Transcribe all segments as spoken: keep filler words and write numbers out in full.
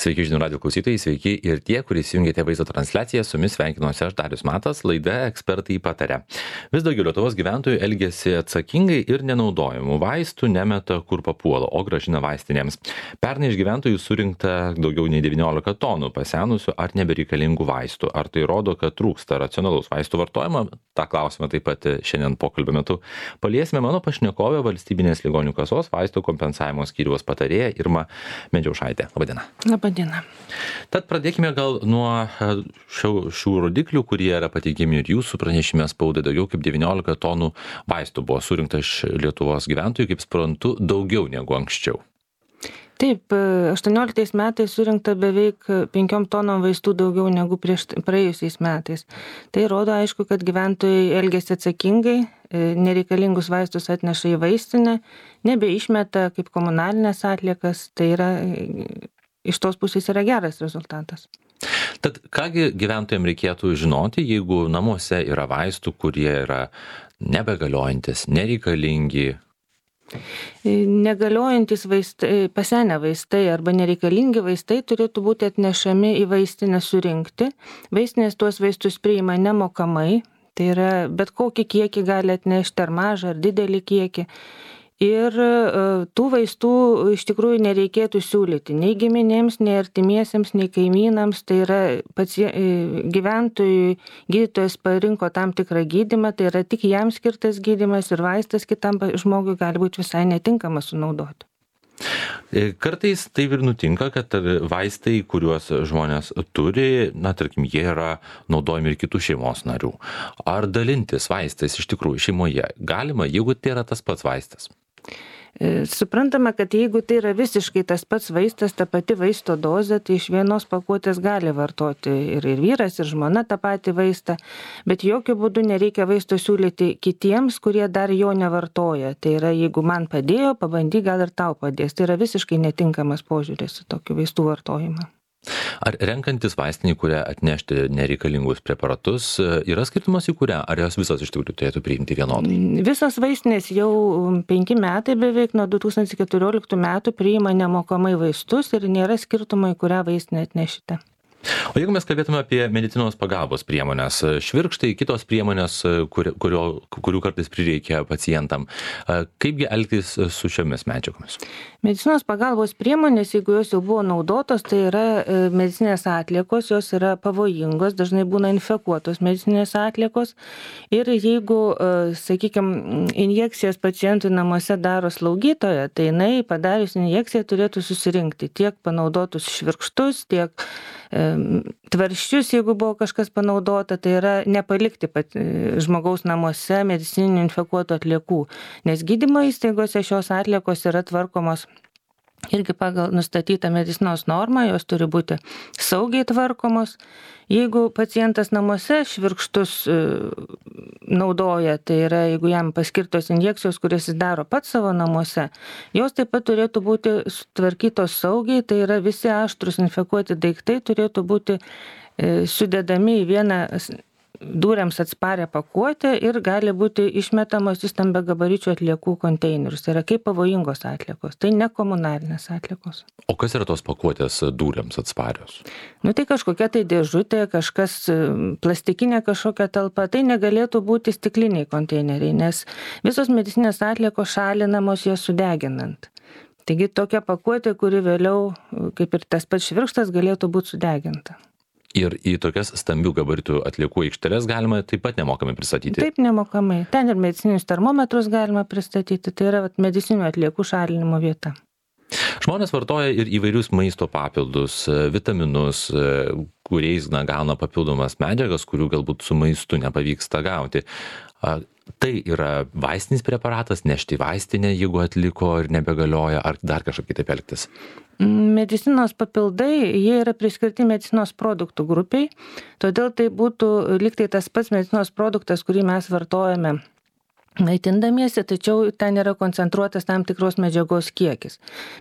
Sveiki žinių radijo klausytojai, sveiki ir tie, kurie įsijungėte vaizdo transliaciją, su jumis sveikinuosi aš Darius Matas, laida Ekspertai pataria. Vis daugiau Lietuvos gyventojų elgiasi atsakingai ir nenaudojamų vaistų nemeta kur papuola, o grąžina vaistinėms. Pernai iš gyventojų surinkta daugiau nei devyniolika tonų pasenusių ar nebereikalingų vaistų. Ar tai rodo, kad trūksta racionalaus vaistų vartojimo? Ta klausimą taip pat šiandien pokalbio metu paliesime. Mano pašnekovė Valstybinės ligonių kasos vaistų kompensavimo skyriaus patarėja Irma Medžiaušaitė. Labadiena. Labadiena. Tad pradėkime gal nuo šių, šių rodiklių, kurie yra pateikiami ir jūsų pranešime spaudai. Daugiau kaip devyniolika tonų vaistų buvo surinkta iš Lietuvos gyventojų, kaip suprantu, daugiau negu anksčiau. Taip, aštuonioliktais metais surinkta beveik penkiom tonom vaistų daugiau negu prieš praėjusiais metais. Tai rodo, aišku, kad gyventojai elgiasi atsakingai, nereikalingus vaistus atneša į vaistinę, nebeišmeta kaip komunalinės atliekas, tai yra, iš tos pusės yra geras rezultatas. Tad kągi gyventojams reikėtų žinoti, jeigu namuose yra vaistų, kurie yra nebegaliojantis, nereikalingi? Negaliojantis vaistai, pasenę vaistai arba nereikalingi vaistai turėtų būti atnešami į vaistinę surinkti. Vaistinės tuos vaistus priima nemokamai, tai yra bet kokį kiekį gali atnešti, ar mažą, ar didelį kiekį. Ir tų vaistų iš tikrųjų nereikėtų siūlyti nei giminėms, nei artimiesiems, nei kaimynams. Tai yra pacie... gyventojui gydytojas parinko tam tikrą gydymą, tai yra tik jam skirtas gydymas ir vaistas kitam žmogui gali būti visai netinkamas sunaudoti. Kartais taip ir nutinka, kad vaistai, kuriuos žmonės turi, na, tarkim, jie yra naudojami ir kitų šeimos narių. Ar dalintis vaistais iš tikrųjų šeimoje galima, jeigu tai yra tas pats vaistas? Suprantama, kad jeigu tai yra visiškai tas pats vaistas, ta pati vaisto dozė, tai iš vienos pakuotės gali vartoti ir, ir vyras, ir žmona tą patį vaistą, bet jokių būdų nereikia vaisto siūlyti kitiems, kurie dar jo nevartoja. Tai yra, jeigu man padėjo, pabandyk, gal ir tau padės. Tai yra visiškai netinkamas požiūris į tokių vaistų vartojimą. Ar renkantis vaistinį, kurią atnešti nereikalingus preparatus, yra skirtumas į kurią? Ar jos visos iš tikrųjų turėtų priimti vienodai? Visos vaistinės jau penki metai beveik nuo du tūkstančiai keturioliktų metų priima nemokamai vaistus ir nėra skirtumo, į kurią vaistinę atnešite. O jeigu mes kalbėtume apie medicinos pagalbos priemonės, švirkštai, kitos priemonės, kur, kurio, kurių kartais prireikia pacientam, kaipgi elgtis su šiomis medžiagomis? Medicinos pagalbos priemonės, jeigu jos jau buvo naudotos, tai yra medicinės atliekos, jos yra pavojingos, dažnai būna infekuotos medicinės atliekos. Ir jeigu, sakykime, injekcijas pacientui namuose daro slaugytoja, tai jinai padarius injekciją turėtų susirinkti tiek panaudotus švirkštus, tiek tvarščius, jeigu buvo kažkas panaudota, tai yra nepalikti pat žmogaus namuose medicininių infekuotų atliekų, nes gydymo įstaigose šios atliekos yra tvarkomos irgi pagal nustatytą medicinos normą, jos turi būti saugiai tvarkomos. Jeigu pacientas namuose švirkštus naudoja, tai yra, jeigu jam paskirtos injekcijos, kurias jis daro pats savo namuose, jos taip pat turėtų būti sutvarkytos saugiai, tai yra visi aštrus infekuoti daiktai turėtų būti sudedami į vieną dūriams atsparę pakuotę ir gali būti išmetamos į stambiagabaričių atliekų konteinerius. Tai yra kaip pavojingos atliekos, tai ne komunalinės atliekos. O kas yra tos pakuotės dūriams atsparios? Nu tai kažkokia tai dėžutė, kažkas plastikinė kažkokia talpa, tai negalėtų būti stikliniai konteineriai, nes visos medicinės atliekos šalinamos jas sudeginant. Taigi tokia pakuotė, kuri vėliau, kaip ir tas pats švirkštas, galėtų būti sudeginta. Ir į tokias stambių gabaritų atliekų aikšteles galima taip pat nemokamai pristatyti? Taip, nemokamai. Ten ir medicininius termometrus galima pristatyti. Tai yra medicinių atliekų šalinimo vieta. Žmonės vartoja ir įvairius maisto papildus, vitaminus, kuriais na, gauna papildomas medžiagas, kurių galbūt su maistu nepavyksta gauti. Tai yra vaistinis preparatas, nešti vaistinę, jeigu atliko ir nebegalioja, ar dar kažkaip kitaip elgtis? Medicinos papildai, jie yra priskirti medicinos produktų grupiai, todėl tai būtų lygtai tas pats medicinos produktas, kurį mes vartojame maitindamiesi, tačiau ten yra koncentruotas tam tikros medžiagos kiekis.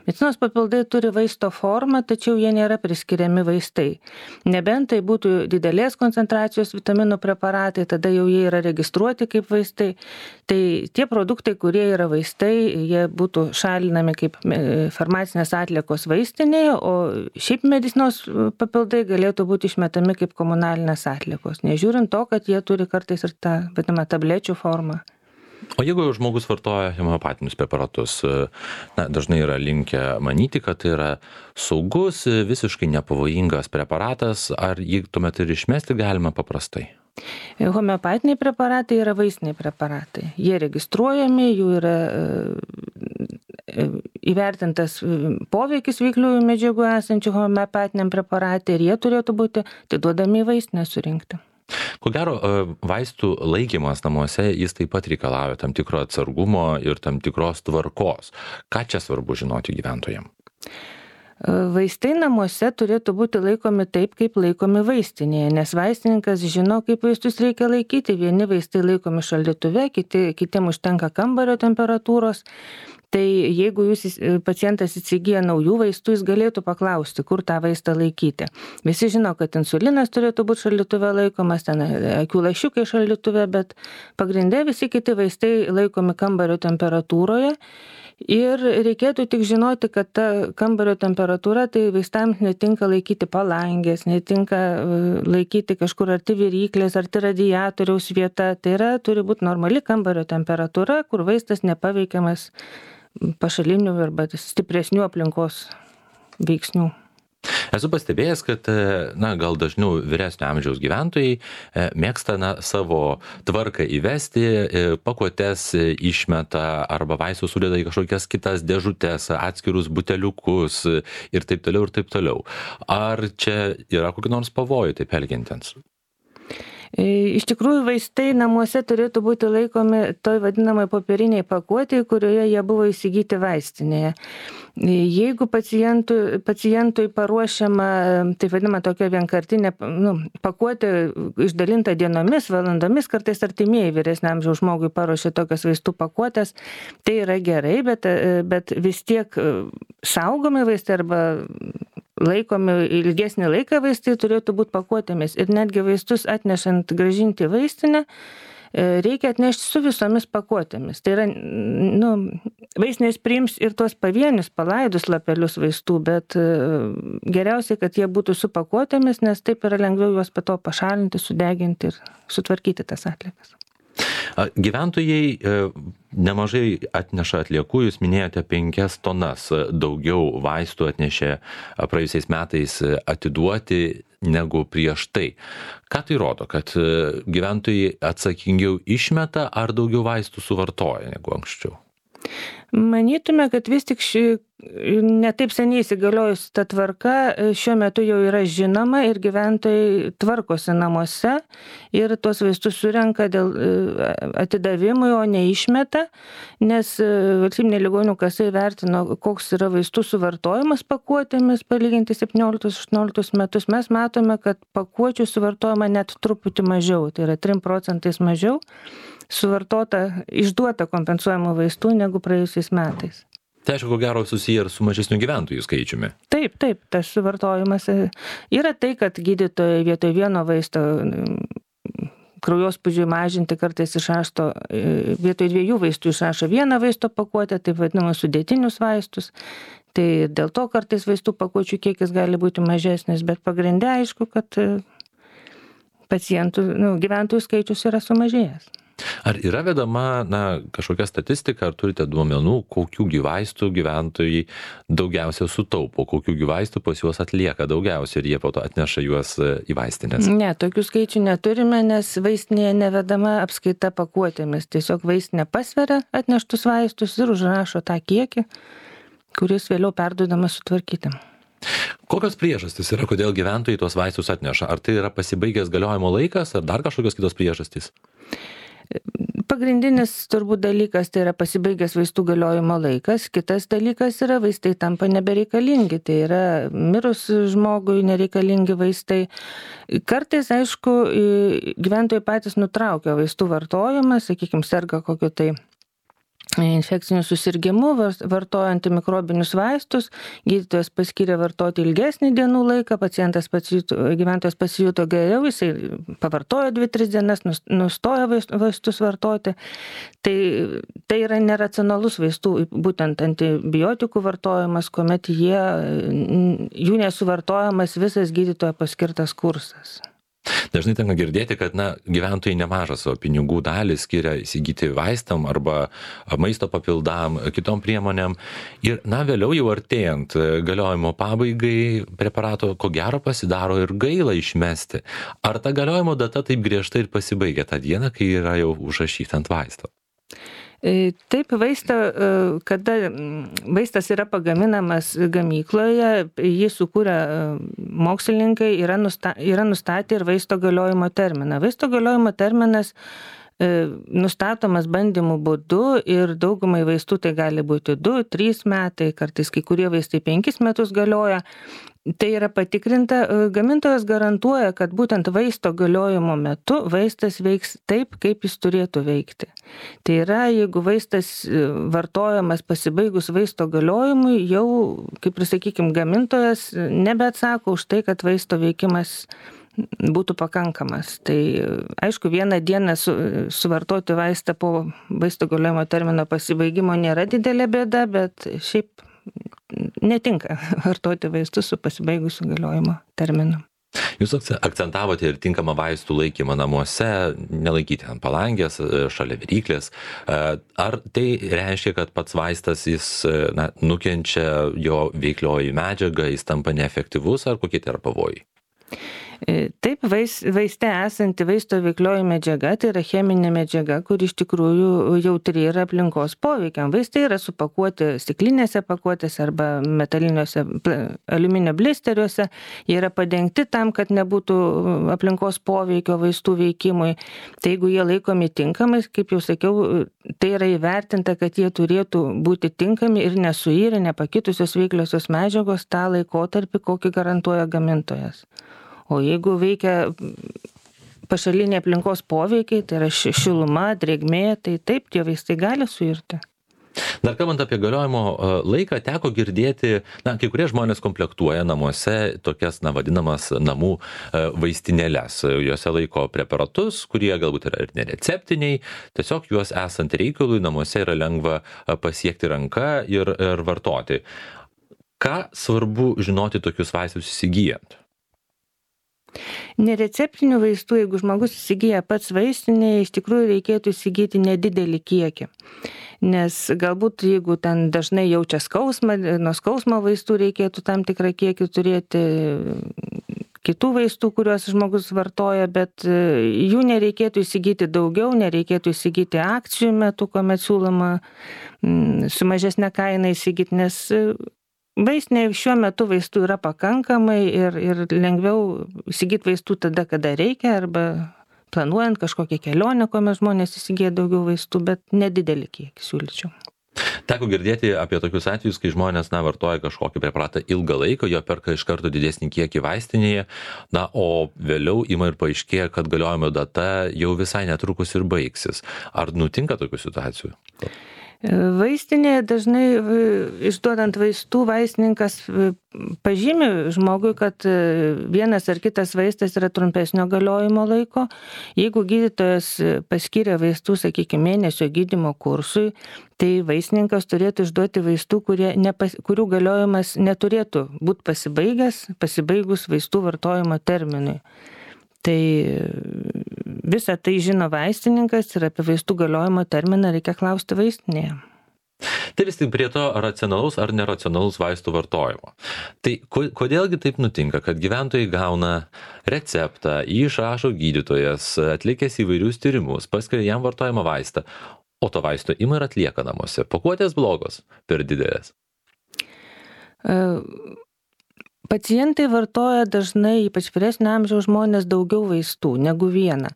Medicinos papildai turi vaisto formą, tačiau jie nėra priskiriami vaistai. Nebent tai būtų didelės koncentracijos vitaminų preparatai, tada jau jie yra registruoti kaip vaistai. Tai tie produktai, kurie yra vaistai, jie būtų šalinami kaip farmacinės atliekos vaistinėje, o šiaip medicinos papildai galėtų būti išmetami kaip komunalinės atliekos, nežiūrint to, kad jie turi kartais ir tą vadinamą tablečių formą. O jeigu žmogus vartoja homeopatinius preparatus, na, dažnai yra linkę manyti, kad tai yra saugus, visiškai nepavojingas preparatas, ar jį tuomet ir išmesti galima paprastai? Homeopatiniai preparatai yra vaistiniai preparatai. Jie registruojami, jų yra įvertintas poveikis veikliųjų medžiagų esančių homeopatiniam preparatui ir jie turėtų būti atiduodami į vaistinę surinkti. Ko gero, vaistų laikymas namuose, jis taip pat reikalauja tam tikro atsargumo ir tam tikros tvarkos. Ką čia svarbu žinoti gyventojams? Vaistai namuose turėtų būti laikomi taip, kaip laikomi vaistinėje, nes vaistininkas žino, kaip vaistus reikia laikyti. Vieni vaistai laikomi šaldytuve, kiti, kitiem užtenka kambario temperatūros. Tai jeigu jūs pacientas įsigyja naujų vaistų, jis galėtų paklausti, kur tą vaistą laikyti. Visi žino, kad insulinas turėtų būti šaldytuve laikomas, ten akių lašiukai šaldytuve, bet pagrindė visi kiti vaistai laikomi kambario temperatūroje. Ir reikėtų tik žinoti, kad ta kambario temperatūra, tai vaistams netinka laikyti palangės, netinka laikyti kažkur arti viryklės, arti radiatoriaus vieta. Tai yra, turi būti normali kambario temperatūra, kur vaistas nepaveikiamas pašalinių arba stipresnių aplinkos veiksnių. Esu pastebėjęs, kad na, gal dažniau vyresnio amžiaus gyventojai mėgsta na, savo tvarką įvesti, pakuotes išmeta arba vaistus sudeda į kažkokias kitas dėžutes, atskirus buteliukus ir taip toliau ir taip toliau. Ar čia yra kokių nors pavojų taip elgiantiems? Iš tikrųjų, vaistai namuose turėtų būti laikomi toj vadinamai popieriniai pakuotėje, kurioje jie buvo įsigyti vaistinėje. Jeigu pacientui, pacientui paruošiama, tai vadinama tokia vienkartinė nu, pakuotė išdalinta dienomis, valandomis, kartais artimieji vyresniam amžiaus žmogui paruošia tokias vaistų pakuotės, tai yra gerai, bet, bet vis tiek saugomi vaistai arba laikomi ilgesnį laiką vaistai turėtų būti pakuotėmis. Ir netgi vaistus atnešant grąžinti vaistinę, reikia atnešti su visomis pakuotėmis. Tai yra, nu, vaistinės priims ir tuos pavienius palaidus lapelius vaistų, bet geriausiai, kad jie būtų su pakuotėmis, nes taip yra lengviau juos po to pašalinti, sudeginti ir sutvarkyti tas atliekas. Gyventojai nemažai atneša atliekų, jūs minėjote penkias tonas daugiau vaistų atnešė praėjusiais metais atiduoti negu prieš tai. Ką tai rodo, kad gyventojai atsakingiau išmeta ar daugiau vaistų suvartoja negu anksčiau? Manytume, kad vis tik ši, netaip seniai įsigaliojus ta tvarka šiuo metu jau yra žinoma ir gyventojai tvarkosi namuose ir tuos vaistus surenka dėl atidavimui, o neišmeta, nes valstybinė ligonių kasa įvertino, koks yra vaistų suvartojimas pakuotėmis palyginti septynioliktus aštuonioliktus metus. Mes matome, kad pakuočių suvartojama net truputį mažiau, tai yra trim procentais mažiau suvartota, išduota kompensuojamų vaistų negu praėjusiais metais. Tai aišku, ko gero susiję ir su mažesniu gyventojų skaičiumi. Taip, taip, tas suvartojimas yra tai, kad gydytojai vietoj vieno vaisto kraujospūdžiui mažinti kartais išrašto, vietoj dviejų vaistų išrašo vieną vaisto pakuotę, taip vadinamus sudėtinius vaistus. Tai dėl to kartais vaistų pakuočių kiekis gali būti mažesnis, bet pagrinde aišku, kad pacientų, nu, gyventojų skaičius yra sumažėjęs. Ar yra vedama na, kažkokia statistika, ar turite duomenų, kokių vaistų gyventojai daugiausia sutaupo, kokių vaistų pas juos atlieka daugiausia ir jie po to atneša juos į vaistinės? Ne, tokių skaičių neturime, nes vaistinėje nevedama apskaita pakuotėmis. Tiesiog vaistinė pasveria atneštus vaistus ir užrašo tą kiekį, kuris vėliau perduodamas sutvarkyti. Kokios priežastys yra, kodėl gyventojai tuos vaistus atneša? Ar tai yra pasibaigęs galiojimo laikas, ar dar kažkokios kitos priežastys? Pagrindinis turbūt dalykas tai yra pasibaigęs vaistų galiojimo laikas, kitas dalykas yra vaistai tampa nebereikalingi, tai yra mirus žmogui nereikalingi vaistai. Kartais, aišku, gyventojai patys nutraukia vaistų vartojimą, sakykime, serga kokiu tai infekciniu susirgimu, vartoja antimikrobinius vaistus, gydytojas paskyrė vartoti ilgesnį dienų laiką, pacientas pasijuto, gyventojas pasijuto geriau, jisai pavartojo dvi tris dienas, nustojo vaistus vartoti. Tai, tai yra neracionalus vaistų, būtent antibiotikų vartojimas, kuomet jie, jų nesuvartojamas visas gydytojo paskirtas kursas. Dažnai tenka girdėti, kad na, gyventojai nemažą savo pinigų dalį skiria įsigyti vaistam arba maisto papildam, kitom priemonėm. Ir na, vėliau jau artėjant galiojimo pabaigai preparato, ko gero pasidaro ir gaila išmesti. Ar ta galiojimo data taip griežtai ir pasibaigia tą dieną, kai yra jau užrašyta ant vaisto? Taip, vaistą, kada vaistas yra pagaminamas gamykloje, jį sukūrę mokslininkai yra, nusta, yra nustatę ir vaisto galiojimo terminą. Vaisto galiojimo terminas nustatomas bandymų būdu ir daugumai vaistų tai gali būti du trys metai, kartais kai kurie vaistai penkis metus galioja. Tai yra patikrinta, gamintojas garantuoja, kad būtent vaisto galiojimo metu vaistas veiks taip, kaip jis turėtų veikti. Tai yra, jeigu vaistas vartojamas pasibaigus vaisto galiojimui, jau, kaip ir sakykime, gamintojas nebeatsako už tai, kad vaisto veikimas būtų pakankamas. Tai aišku, vieną dieną su, suvartoti vaistą po vaisto galiojimo termino pasibaigimo nėra didelė bėda, bet šiaip netinka vartoti vaistus su pasibaigusiu galiojimo terminu. Jūs akcentavote ir tinkamą vaistų laikymą namuose, nelaikyti ant palangės, šalia viryklės. Ar tai reiškia, kad pats vaistas jis na, nukenčia jo veiklioji medžiaga, jis tampa neefektyvus, ar kokie tai yra pavojai? Taip, vais, vaiste esanti vaisto veiklioji medžiaga, tai yra cheminė medžiaga, kur iš tikrųjų jautri yra aplinkos poveikiam. Vaistai yra supakuoti stiklinėse pakuotėse arba metaliniuose aliuminio blisteriuose. Jie yra padengti tam, kad nebūtų aplinkos poveikio vaistų veikimui. Tai jeigu jie laikomi tinkamais, kaip jau sakiau, tai yra įvertinta, kad jie turėtų būti tinkami ir nesuirę, nepakitusios veikliosios medžiagos tą laikotarpį, kokį garantuoja gamintojas. O jeigu veikia pašaliniai aplinkos poveikiai, tai yra šiluma, drėgmė, tai taip, tie vaistai gali suirti. Dar kalbant apie galiojimo laiką, teko girdėti, na, kai kurie žmonės komplektuoja namuose tokias, na, vadinamas namų vaistinėles. Juose laiko preparatus, kurie galbūt yra ir nereceptiniai, tiesiog juos esant reikalui namuose yra lengva pasiekti ranka ir, ir vartoti. Ką svarbu žinoti tokius vaistus įsigijant? Nereceptinių vaistų, jeigu žmogus įsigyja pats vaistinėje, iš tikrųjų reikėtų įsigyti nedidelį kiekį. Nes galbūt jeigu ten dažnai jaučia skausmą, nuo skausmo vaistų reikėtų tam tikrą kiekį turėti kitų vaistų, kuriuos žmogus vartoja, bet jų nereikėtų įsigyti daugiau, nereikėtų įsigyti akcijų metu, kuomet siūloma su mažesnė kaina įsigyti, nes vaistinėje šiuo metu vaistų yra pakankamai ir, ir lengviau įsigyti vaistų tada, kada reikia, arba planuojant kažkokią kelionę, kuomet žmonės įsigyja daugiau vaistų, bet nedidelį kiekį siūlyčiau. Teko girdėti apie tokius atvejus, kai žmonės na, vartoja kažkokį preparatą ilgą laiką, jo perka iš karto didesnį kiekį vaistinėje, na, o vėliau ima ir paaiškėja, kad galiojimo data jau visai netrukus ir baigsis. Ar nutinka tokių situacijų? Vaistinėje dažnai išduodant vaistų vaistininkas pažymi žmogui, kad vienas ar kitas vaistas yra trumpesnio galiojimo laiko. Jeigu gydytojas paskyrė vaistų, sakykime, mėnesio gydymo kursui, tai vaistininkas turėtų išduoti vaistų, kurie nepas, kurių galiojimas neturėtų būti pasibaigęs, pasibaigus vaistų vartojimo terminui. Tai visą tai žino vaistininkas ir apie vaistų galiojimo terminą reikia klausti vaistinėje. Tai vis tik prie to racionalaus ar neracionalaus vaistų vartojimo. Tai kodėlgi taip nutinka, kad gyventojai gauna receptą, jį išrašo gydytojas, atlikęs įvairius tyrimus, paskiria jam vartojamą vaistą, o to vaisto ima ir atlieka namuose. Pakuotės blogos, per didelės. Uh... Pacientai vartoja dažnai, ypač vyresnio amžiaus žmonės, daugiau vaistų negu vieną.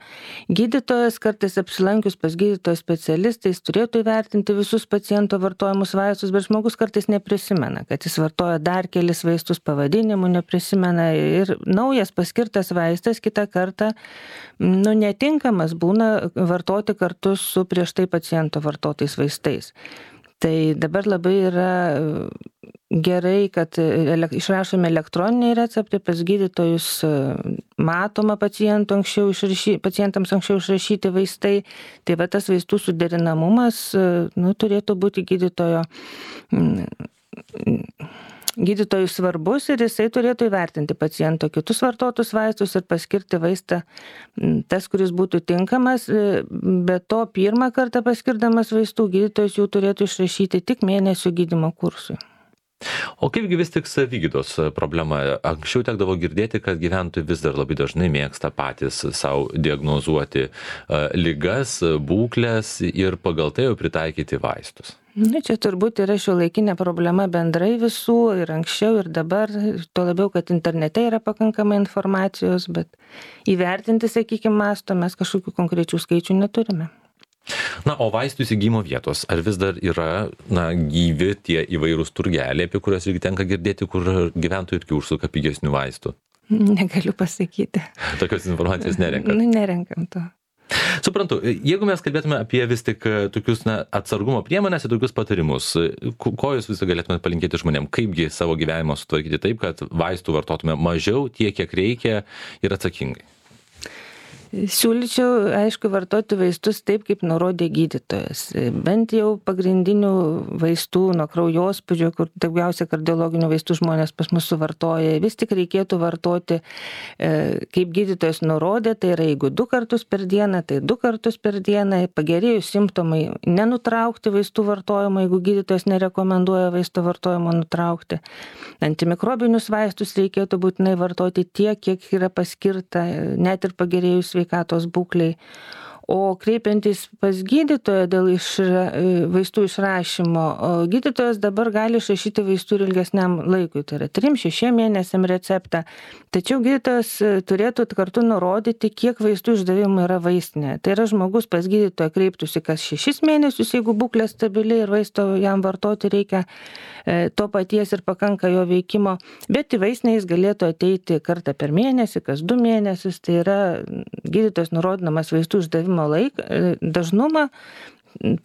Gydytojas kartais apsilankius pas gydytojo specialistais turėtų įvertinti visus paciento vartojamus vaistus, bet žmogus kartais neprisimena, kad jis vartoja dar kelis vaistus, pavadinimų neprisimena ir naujas paskirtas vaistas kitą kartą nu, netinkamas būna vartoti kartu su prieš tai paciento vartotais vaistais. Tai dabar labai yra gerai, kad išrašomi elektroniniai receptai pas gydytojus, matoma pacientų anksčiau išrašy, pacientams anksčiau išrašyti vaistai. Tai va tas vaistų suderinamumas nu, turėtų būti gydytojo, gydytojui svarbus ir jisai turėtų įvertinti paciento kitus vartotus vaistus ir paskirti vaistą tas, kuris būtų tinkamas. Be to, pirmą kartą paskirdamas vaistų gydytojas jų turėtų išrašyti tik mėnesio gydymo kursui. O kaipgi vis tik savigydos problema? Anksčiau tekdavo girdėti, kad gyventojai vis dar labai dažnai mėgsta patys savo diagnozuoti ligas, būklės ir pagal tai jau pritaikyti vaistus. Na, čia turbūt yra šiuolaikinė problema bendrai visų ir anksčiau ir dabar, tuo labiau, kad internete yra pakankamai informacijos, bet įvertinti, sakykime, masto mes kažkokių konkrečių skaičių neturime. Na, o vaistų įsigymo vietos, ar vis dar yra na, gyvi tie įvairūs turgeliai, apie kuriuos irgi tenka girdėti, kur gyventojai irgi užsuka pigesnių vaistų? Negaliu pasakyti. Tokios informacijos nerenkam? Nu, nerenkam to. Suprantu, jeigu mes kalbėtume apie vis tik tokius na, atsargumo priemonės ir tokius patarimus, ko jūs visą galėtumėte palinkėti žmonėm, kaipgi savo gyvenimą sutvarkyti taip, kad vaistų vartotume mažiau, tiek, kiek reikia ir atsakingai? Siūlyčiau, aišku, vartoti vaistus taip, kaip nurodė gydytojas. Bent jau pagrindinių vaistų nuo kraujospūdžio, kur daugiausia kardiologinių vaistų žmonės pas mus suvartoja, vis tik reikėtų vartoti, kaip gydytojas nurodė, tai yra jeigu du kartus per dieną, tai du kartus per dieną, pagerėjus simptomai, nenutraukti vaistų vartojimo, jeigu gydytojas nerekomenduoja vaisto vartojimo nutraukti. Antimikrobinius vaistus reikėtų būtinai vartoti tiek, kiek yra paskirta, net ir pagerėjus sveikatos būklei. O kreipiantis pas gydytoją dėl išra, vaistų išrašymo, gydytojas dabar gali išrašyti vaistų ir ilgesniam laikui, tai yra trim šešiem mėnesiam receptą. Tačiau gydytojas turėtų kartu nurodyti, kiek vaistų išdavimų yra vaistinė. Tai yra žmogus pas gydytoją kreiptųsi kas šešis mėnesius, jeigu būklė stabili ir vaisto jam vartoti reikia to paties ir pakanka jo veikimo, bet į vaistinę jis galėtų ateiti kartą per mėnesį, kas du mėnesius, tai yra gydytojas nurodydamas vaistų išdavimo laiką, dažnumą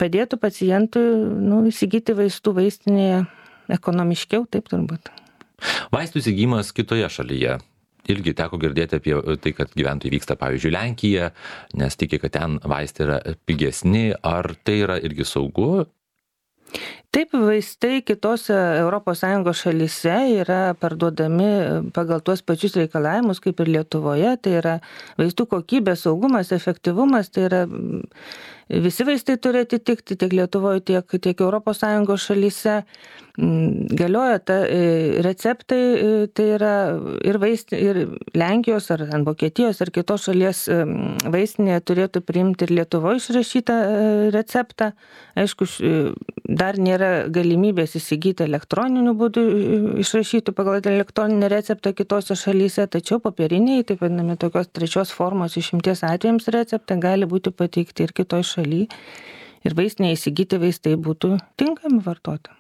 padėtų pacientui nu, įsigyti vaistų vaistinėje ekonomiškiau, taip turbūt. Vaistų įsigymas kitoje šalyje. Irgi teko girdėti apie tai, kad gyventojai vyksta, pavyzdžiui, Lenkiją, nes tiki, kad ten vaistai yra pigesni. Ar tai yra irgi saugu? Taip, vaistai kitose Europos Sąjungos šalyse yra parduodami pagal tuos pačius reikalavimus kaip ir Lietuvoje. Tai yra vaistų kokybė, saugumas, efektyvumas, tai yra visi vaistai turi atitikti tiek Lietuvoje, tiek, tiek Europos Sąjungos šalyse. Galioja ta, receptai, tai yra ir, vaist, ir Lenkijos, ar Vokietijos, ar kitos šalies vaistinėje turėtų priimti ir Lietuvoje išrašytą receptą. Aišku, dar nėra galimybės įsigyti elektroniniu būdu išrašytų pagal elektroninį receptą kitose šalyse, tačiau popieriniai, taip vadinami tokios trečios formos išimties atvejams receptą gali būti pateikti ir kitoj šaly ir vaistinėje įsigyti vaistai būtų tinkami vartoti.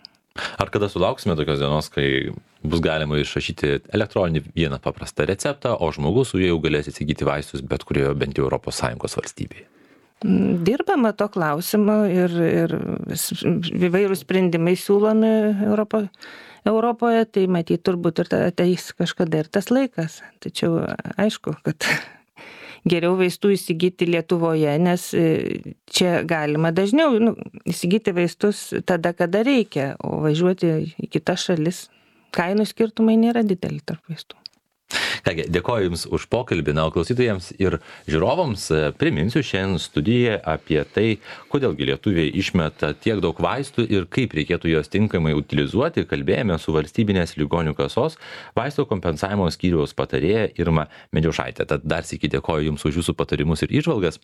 Ar kada sulauksime tokios dienos, kai bus galima išrašyti elektroninį vieną paprastą receptą, o žmogus su juo jau galės įsigyti vaistus bet kurioje bent jau Europos Sąjungos valstybėje? Dirbama to klausimu ir, ir įvairūs sprendimai siūlomi Europo, Europoje, tai matyt turbūt ir ateis kažkada ir tas laikas. Tačiau aišku, kad geriau vaistų įsigyti Lietuvoje, nes čia galima dažniau nu, įsigyti vaistus tada, kada reikia, o važiuoti į kitas šalis kainų skirtumai nėra dideli tarp vaistų. Kągi, dėkoju Jums už pokalbį, na, o klausytojams ir žiūrovams priminsiu šiandien studijoje apie tai, kodėlgi lietuviai išmeta tiek daug vaistų ir kaip reikėtų juos tinkamai utilizuoti. Kalbėjome su valstybinės ligonių kasos vaistų kompensavimo skyriaus patarėja Irma Medžiaušaitė. Tad dar sykį dėkoju Jums už Jūsų patarimus ir įžvalgas.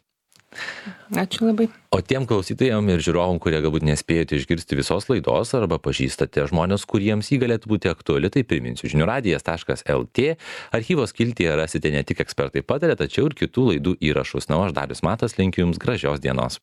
Ačiū labai. O tiem klausytojam ir žiūrovom, kurie galbūt nespėjote išgirsti visos laidos arba pažįstate žmonės, kuriems jį galėtų būti aktuali, tai priminsiu žinių radijas taškas lt. Archyvo skiltyje rasite ne tik Ekspertai pataria, tačiau ir kitų laidų įrašus. Na, o aš Darius Matas linkiu Jums gražios dienos.